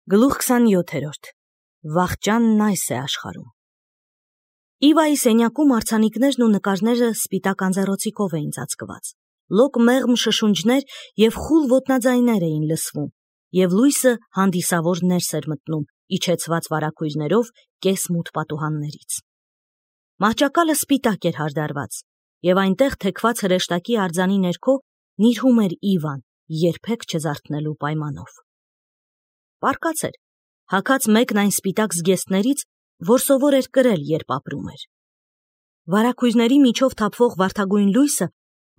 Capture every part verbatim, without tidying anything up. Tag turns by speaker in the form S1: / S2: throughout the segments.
S1: Գլուխ քսանյոթերորդ Վախճանն այս է աշխարհում։ Իվայի սենյակում արձանիկներն ու նկարները սպիտակ անձեռոցիկով էին ծածկված։ Լոկ մեղմ շշունջներ և խուլ ոտնաձայներ էին լսվում, և լույսը հանդիսավոր ներս էր մտնում, իջեցված վարագույրներով կես-մութ պատուհաններից։ Մահճակալը սպիտակ էր հարդարված, և այնտեղ թեքված հրեշտակի արձանի ներքո նիրհում էր Իվան, երբեք չզարթնելու պայմանով։ Պառկած էր, հագած մեկն այն սպիտակ զգեստներից, որ սովոր էր կրել, երբ ապրում էր։ Վարագույրների միջով թափվող վարդագույն լույսը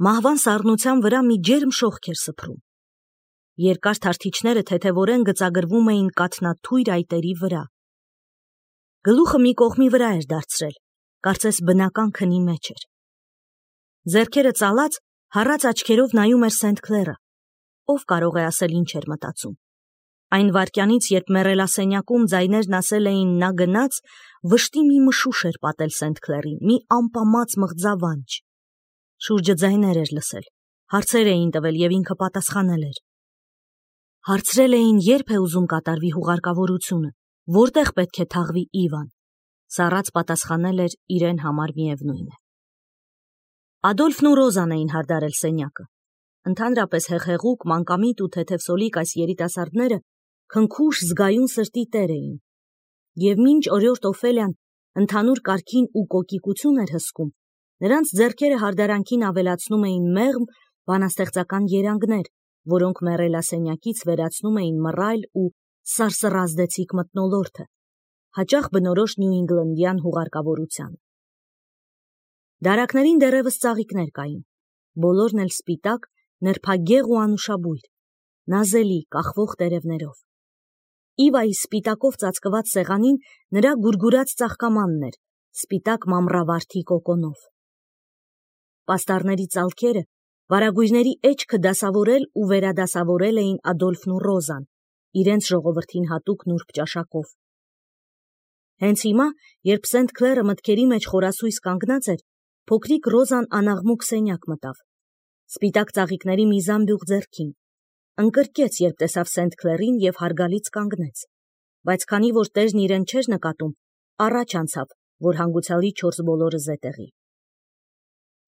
S1: մահվան սառնության վրա մի ջերմ շողք էր սփռում։ Երկար թարթիչները թեթևորեն գծագրվում էին կաթնաթույր այտերի վրա։ Գլուխը մի կողմի վրա էր դարձրել, կարծես բնական քնի մեջ էր։ Ձեռքերը ծալած, հառած աչքերով նայում էր Սենթ Քլերը, ով կարող է ասել ինչ էր մտածում։ Այն վայրկյանից, երբ մեռելասենյակում ձայներն ասել էին նա գնաց, վշտի մի մշուշ էր պատել Սենթ Քլերին, մի ամպամած մղձավանջ։ Շուրջը ձայներ էր լսել, հարցեր էին տվել և ինքը պատասխանել էր։ Հարցրել էին, երբ է ուզում կատարվի հուղարկավորությունը, որտեղ պետք է թաղվի Իվան։ Սառած պատասխանել էր իրեն համար միևնույն է։ Ադոլֆն ու Ռոզան էին հարդարել սենյակը։ Ընդհանրապես հեղեղուկ, մանկամիտ ու թեթևսոլիկ այս երիտասարդները քնքուշ զգայուն սրտի տեր էին, և մինչ օրիորդ Օֆելիան ընդհանուր կարգին ու կոկիկություն էր հսկում, նրանց ձեռքերը հարդարանքին ավելացնում էին մեղմ բանաստեղծական երանգներ, որոնք մեռելասենյակից վերացնում էին մռայլ ու սարսռազդեցիկ մթնոլորտը, հաճախ բնորոշ նյուինգլնդյան հուղարկավորությանը։ Դարակներին դեռևս ծաղիկներ կային, բոլորն էլ սպիտակ, նրբագեղ ու անուշաբույր, նազելի, կախվող տերևներով։ Իվայի սպիտակով ծածկված սեղանին նրա գուրգուրած ծաղկամանն էր, սպիտակ մամռավարդի կոկոնով։ Պաստառների ծալքերը, վարագույրների էջքը դասավորել ու վերադասավորել էին Ադոլֆն ու Ռոզան, իրենց ժողովրդին հատուկ նուրբ ճաշակով։ Հենց հիմա, երբ Սենթ Քլերը մտքերի մեջ խորասույս կանգնած էր, փոքրիկ Ռոզան անաղմուկ սենյակ մտավ, սպիտակ ծաղիկների մի զամբյուղ ձեռքին, ընկրկեց, երբ տեսավ Սենթ Քլերին և հարգալից կանգնեց, բայց քանի որ տերն իրեն չէր նկատում, առաջ անցավ, որ հանգուցալի չորս բոլորը զետեղի։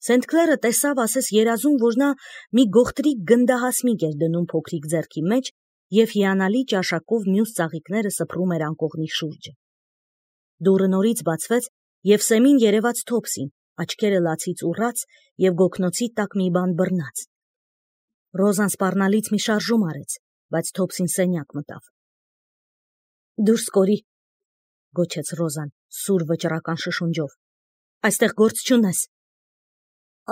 S1: Սենթ Քլերը տեսավ, ասես երազում, որ նա մի գողտրիկ գնդահասմիկ էր դնում փոքրիկ ձեռքի մեջ և հիանալի ճաշակով մյուս ծաղիկները սփռում էր անկողնի շուրջը։ Դուռը նորից բացվեց, և սեմին երևաց Թոփսին, աչքերը լացից ուռած և գոգնոցի տակ մի բան բռնած։ Ռոզան սպառնալից մի շարժում արեց, բայց Թոփսին սենյակ մտավ։ Դուրս կորի, գոչեց Ռոզան սուր վճռական շշունջով, այստեղ գործ չունես։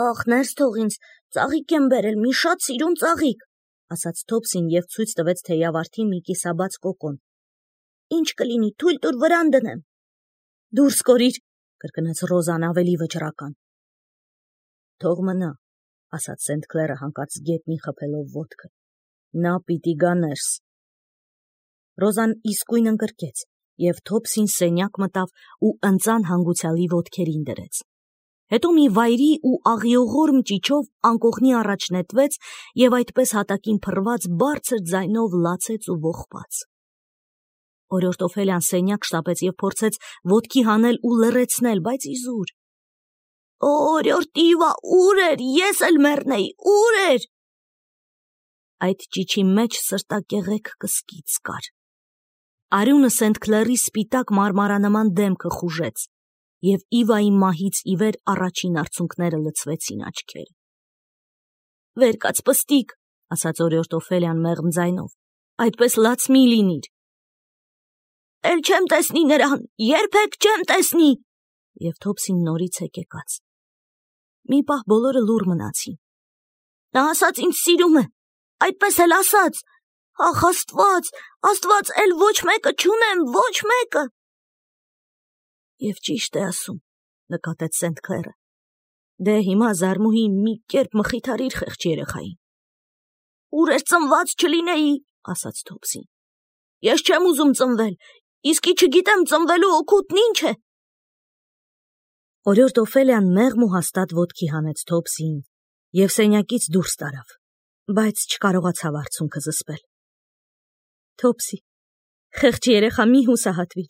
S1: Ախ, ներս թող ինձ, ծաղիկ եմ բերել, մի շատ սիրուն ծաղիկ, ասաց Թոփսին և ցույց տվեց թեյավարդին մի կիսաբաց կոկոն։ Ինչ կլինի, թույլ տուր վրան դնեմ։ Դուրս կորիր, կրկնեց Ռոզան ավելի վճռական։ Թող մնա, ասաց Սենթ Քլերը հանկարծ գետնին խփելով ոտքը։ Նա պիտի գա ներս։ Ռոզան իսկույն ընկրկեց, և Թոփսին սենյակ մտավ ու ընծան հանգուցալի ոտքերին դրեց։ Հետո մի վայրի ու աղիողորմ ճիչով անկողնի առաջ նետվեց և այդպես հատակին փռված բարձր ձայնով լացեց ու ողբաց։ Օրիորդ Օֆելիան սենյակ շտապեց և փորձեց ոտքի հանել ու լռեցնել, բայց իզուր։ Օրիորդ Իվա, ուր էր, ես էլ մեռնեի, ուր էր։ Այդ ճիչի մեջ սրտակեղեք կսկիծ կար։ Արյունը Սենթ Քլերի սպիտակ մարմարանման դեմքը խուժեց, և Իվայի մահից ի վեր առաջին արցունքները լցվեցին աչքերը։ Վեր կաց պստիկ, ասաց օրիորդ Օֆելիան մեղմ ձայնով, այդպես լաց մի լինիր։ Էլ չեմ տեսնի նրան, երբեք չեմ տեսնի։ Եվ Թոփսին նորից հեկեկաց։ Մի պահ բոլորը լուռ մնացին։ Նա ասաց ինձ սիրում է, այդպես էլ ասաց։ Ախ, Աստված, Աստված, էլ ոչ մեկը չունեմ, ոչ մեկը։ Եվ ճիշտ է ասում, նկատեց Սենթ Քլերը։ Դե հիմա զարմուհի մի կերպ մխիթարիր խեղճ երեխային։ Ուր էր ծնված չլինեի, ասաց Թոփսին։ Ես չեմ ուզում ծնվել, իսկի չգիտեմ ծնվելու օգուտն ինչ է։ Օրիորդ Օֆելիան մեղմ ու հաստատ ոտքի հանեց Թոփսիին և սենյակից դուրս տարավ, բայց չկարողացավ արցունքը զսպել։ Թոփսի, Խեղճ երեխա, մի հուսահատվիր։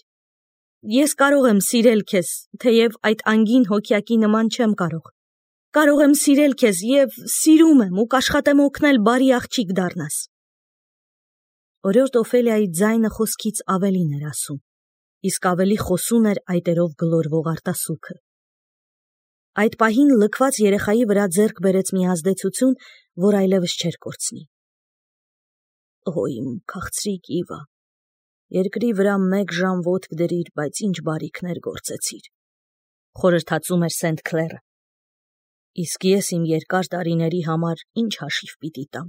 S1: Ես կարող եմ սիրել քեզ, թեև այդ անգին հոգյակի նման չեմ կարող։ Կարող եմ սիրել քեզ և սիրում եմ ու կաշխատեմ օգնել բարի աղջիկ դառնաս։ Օրիորդ Օֆելիայի ձայնը խոսքից ավելին էր ասում, իսկ ավելի խոսուն էր այտերով գլորվող արտասուքը։ Այդ պահին լքված երեխայի վրա ձեռք բերեց մի ազդեցություն, որ այլևս չէր կորցնի։ Օ, իմ քաղցրիկ Իվա, երկրի վրա մեկ ժամ ոտք դրիր, բայց ինչ բարիքներ գործեցիր, խորհրդածում էր Սենթ Քլերը։ Իսկ ես իմ երկար տարիների համար ինչ հաշիվ պիտի տամ։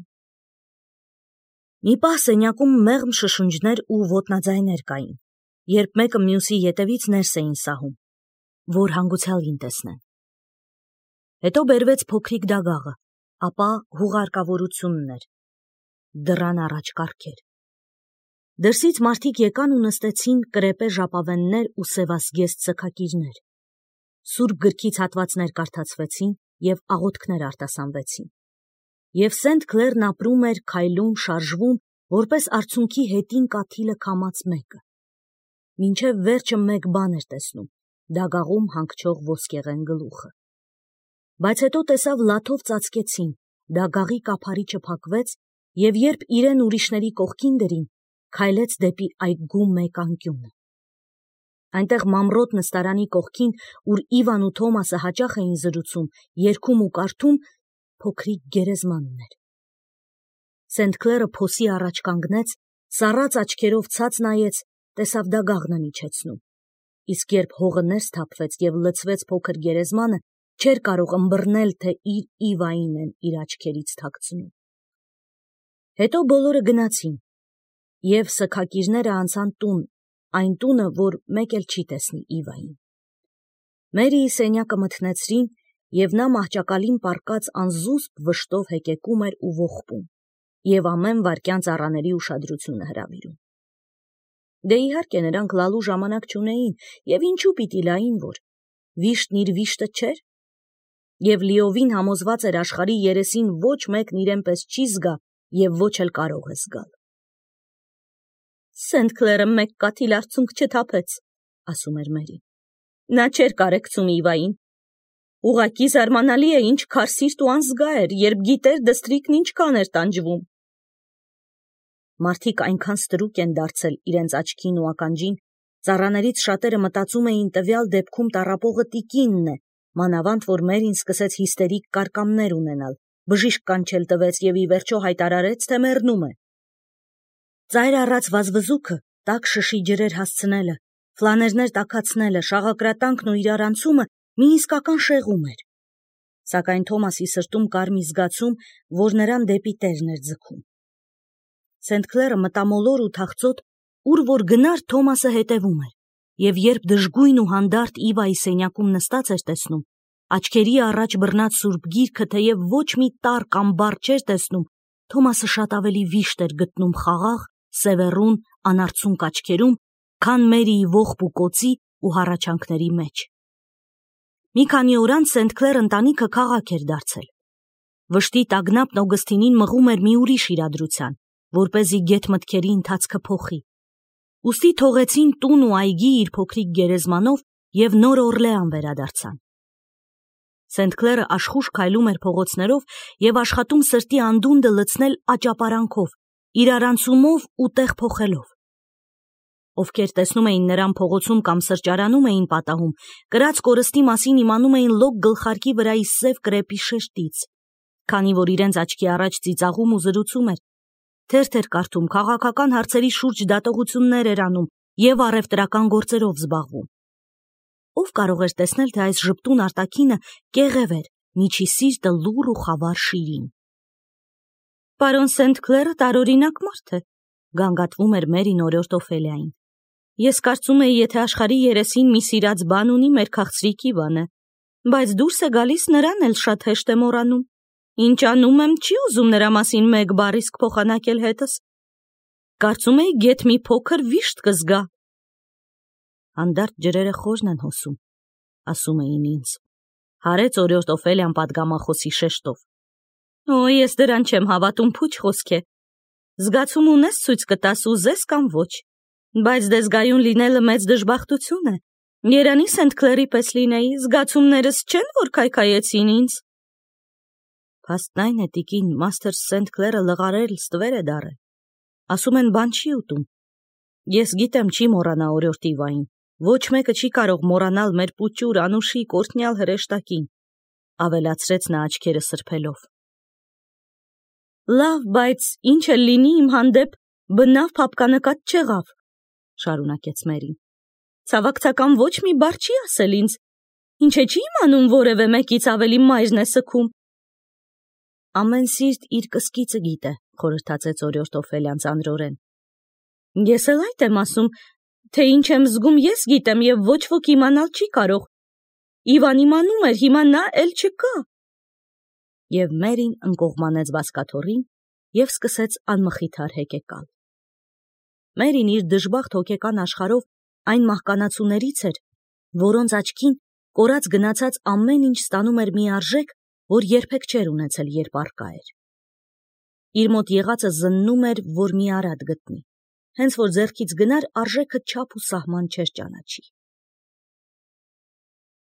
S1: Մի պահ սենյակում մեղմ շշունջներ ու ոտնաձայներ կային, երբ մեկը մյուսի ետևից ներս էին սահում, որ հանգուցյալին տեսնեն։ Հետո բերվեց փոքրիկ դագաղը, ապա հուղարկավորություններ, դռան առաջ կառքեր։ Դրսից մարդիկ եկան ու նստեցին կրեպե ժապավեններ ու սևազգեստ սգակիրներ։ Սուրբ գրքից հատվածներ կարդացվեցին և աղոթքներ արտասանվեցին։ Եվ Սենթ Քլերն ապրում էր, քայլում, շարժվում, որպես արցունքի հետին կաթիլը քամած մեկը։ Մինչև վերջը մեկ բան էր տեսնում՝ դագաղում հանգչող ոսկեղեն գլուխը։ Բայց հետո տեսավ լաթով ծածկեցին, դագաղի կափարիչը փակվեց, և երբ իրեն ուրիշների կողքին դրին, քայլեց դեպի այգու մեկ անկյունը։ Այնտեղ մամռոտ նստարանի կողքին, ուր Իվան ու Թոմասը հաճախ էին զրուցում, երգում ու կարդում, փոքրիկ գերեզմանն էր։ Սենթ Քլերը փոսի առաջ կանգնեց, սառած աչքերով ցած նայեց, տեսավ դագաղն են իջեցնում, իսկ երբ հողը ներս թափվեց և լցվեց փոքր գերեզմանը, չէր կարող ըմբռնել, թե իր Իվային են իր աչքերից թաքցնում։ Հետո բոլորը գնացին, և սգակիրները անցան տուն, այն տունը, որ մեկ էլ չի տեսնի Իվային։ Մերիի սենյակը մթնեցրին, և նա մահճակալին պառկած անզուսպ վշտով հեկեկում էր ու ողբում, և ամեն վայրկյան ծառաների ուշադրությունը հրավիրում։ Դե իհարկե նրանք լալու ժամանակ չունեին, և ինչու պիտի լային, որ վիշտն իր վիշտը չէր, և լիովին համոզված էր աշխարհի երեսին ոչ մեկն իրեն պես չի զգա և ոչ էլ կարող է զգալ։ Սենթ Քլերը մեկ կաթիլ արցունք չթափեց, ասում էր Մերին։ Նա չէր կարեկցում Իվային։ Ուղղակի զարմանալի է, ինչ քարսիրտ ու անզգա էր, երբ գիտեր դստրիկն ինչքան էր տանջվում։ Մարդիկ այնքան ստրուկ են դարձել իրենց աչքին ու ականջին, ծառաներից շատերը մտածում էին տվյալ դեպքում տառապողը տիկինն է, մանավանդ որ Մերին սկսեց հիստերիկ կարկամներ ունենալ, բժիշկ կանչել տվեց և ի վերջո հայտարարեց, թե մեռնում է։ Ծայր առած վազվզուքը, տաք շշի ջրեր հասցնելը, ֆլաներներ տաքացնելը, շաղակրատանքն ու իրարանցումը մի իսկական շեղում էր։ Սակայն Թոմասի սրտում կար մի զգացում, որ նրան դեպի տերն էր ձգում։ Սենթ Քլերը մտամոլոր ու թախծոտ, ուր որ գնար, Թոմասը հետևում էր, և երբ դժգույն ու հանդարտ Իվայի սենյակում նստած էր տեսնում, աչքերի առաջ բռնած սուրբ գիրքը, թեև ոչ մի տառ կամ բառ չէր տեսնում, Թոմասը շատ ավելի վիշտ էր գտնում խաղաղ, սևեռուն, անարցունք աչքերում, քան Մերիի ողբ ու կոծի ու հառաչանքների մեջ։ Մի քանի օր անց Սենթ Քլեր ընտանիքը քաղաք էր դարձել։ Վշտի տագնապն Օգստինին մղում էր մի ուրիշ իրադրության, որպեսզի գեթ մտքերի ընթացքը փոխի։ Ուստի թողեցին տուն ու այգի իր փոքրիկ գերեզմանով և նոր Օրլեան վերադարձան։ Սենթ Քլերը աշխուժ քայլում էր փողոցներով և աշխատում սրտի անդունդը լցնել աճապարանքով, իրարանցումով ու տեղ փոխելով։ Ովքեր տեսնում էին նրան փողոցում կամ սրճարանում էին պատահում, կրած կորստի մասին իմանում էին լոկ գլխարկի վրայի սև կրեպի շերտից, քանի որ իրենց աչքի առաջ ծիծաղում ու զրուցում էր, թերթ էր կարդում, քաղաքական հարցերի շուրջ դատողություններ էր անում և առևտրական գործերով զբաղվում։ Ով կարող էր տեսնել, թե այս ժպտուն արտաքինը կեղև էր, միջի սիրտը լուռ ու խավար շիրին։ Պարոն Սենթ Քլերը տարօրինակ մարդ է, գանգատվում էր Մերին օրիորդ Օֆելիային։ Ես կարծում էի, եթե աշխարհի երեսին մի սիրած բան ունի, մեր քաղցրիկ Իվան է, բայց դուրս է գալիս, նրան էլ շատ հեշտ է մոռանում։ Ինչ անում եմ, չի ուզում նրա մասին մեկ բառ իսկ փոխանակել հետս։ Կարծում էի, գեթ մի փոքր վիշտ կզգա։ Հանդարտ ջրերը խորն են հոսում, ասում էին ինձ, հարեց օրիորդ Օֆելիան պատգամախոսի շեշտով։ Օ, ես դրան չեմ հավատում, փուչ խոսք է։ Զգացում ունես ցույց կտաս ուզես կամ ոչ։ Բայց դեզգայուն լինելը մեծ դժբախտություն է։ Երանի Սենթ Քլերի պես լինեի, զգացումներս չեն, որ քայքայեցին ինձ։ Փաստն այն է, տիկին, Մաստեր Սենթ Քլերը լղարել ստվեր է դարել։ Ասում են բան չի ուտում։ Ես գիտեմ չի մոռանա օրորդ Իվային, ոչ մեկը չի կարող մոռանալ մեր պուճուր Անուշի կորտնյալ հրեշտակին, ավելացրեց նա աչքերը սրբելով։ Լավ, բայց ինչը լինի իմ հանդեպ բնավ փապկանակած չեղավ, շարունակեց Մերին։ Ցավակցական ոչ մի բառ չի ասել ինձ, ինչ է չի իմանում որևէ մեկից ավելի մայրն է սգում։ Ամեն սիրտ իր կսկիծը գիտե, խորհրդացեց օրորդ Օֆելիան ծանրորեն։ Ես էլ այդ եմ ասում, թե ինչ եմ զգում ես գիտեմ և ոչ ոք իմանալ չի կարող։ Իվան իմանում էր, հիմա նա էլ չկա։ Եվ Մերին ընկողմանեց բազկաթոռին և սկսեց անմխիթար հեկեկալ։ Մերին իր դժբախտ հոգեկան աշխարհով այն մահկանացուներից էր, որոնց աչքին կորած գնացած ամեն ինչ ստանում էր մի արժեք, որ երբեք չէր ունեցել, երբ առկա էր։ Իր մոտ եղածը զննում էր, որ մի արատ գտնի, հենց որ ձեռքից գնար, արժեքը չափ ու սահման չէր ճանաչի։